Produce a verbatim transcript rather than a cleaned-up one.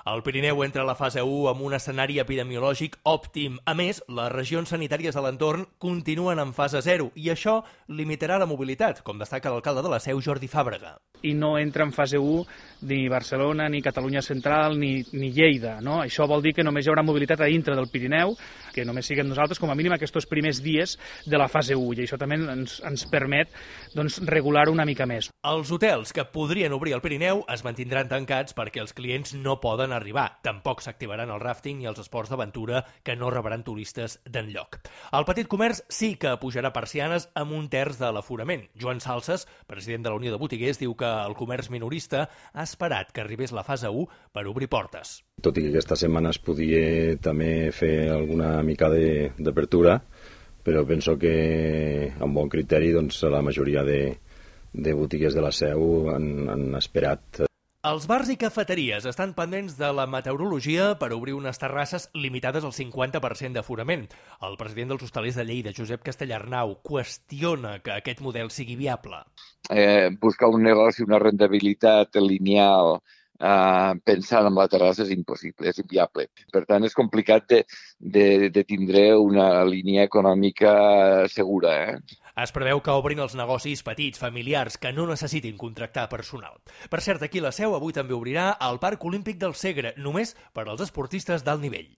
El Pirineu entra a la fase u amb un escenari epidemiològic òptim. A més, les regions sanitàries de l'entorn continuen en fase zero i això limitarà la mobilitat, com destaca l'alcalde de la Seu, Jordi Fàbrega. I no entra en fase u ni Barcelona, ni Catalunya Central, ni, ni Lleida. No? Això vol dir que només hi haurà mobilitat a dintre del Pirineu, que només siguem nosaltres com a mínim aquests primers dies de la fase u, i això també ens, ens permet doncs, regular una mica més. Els hotels que podrien obrir al Pirineu es mantindran tancats perquè els clients no poden arribar. Tampoc s'activaran el ràfting i els esports d'aventura que no rebran turistes d'enlloc. El petit comerç sí que pujarà persianes amb un terç de l'aforament. Joan Salses, president de la Unió de Botiguers, diu que el comerç minorista ha esperat que arribés la fase u per obrir portes. Tot i que aquesta setmana es podia també fer alguna mica d'apertura, però penso que amb bon criteri doncs, la majoria de, de botigues de la Seu han, han esperat. Els bars i cafeteries estan pendents de la meteorologia per obrir unes terrasses limitades al cinquanta per cent d'aforament. El president dels hostalers de Lleida, Josep Castellarnau, qüestiona que aquest model sigui viable. Eh, buscar un negoci, una rendibilitat lineal Uh, pensant en la terrassa és impossible, és inviable. Per tant, és complicat de, de, de tindre una línia econòmica segura. Eh? Es preveu que obrin els negocis petits, familiars, que no necessitin contractar personal. Per cert, aquí la Seu avui també obrirà el Parc Olímpic del Segre, només per als esportistes d'alt nivell.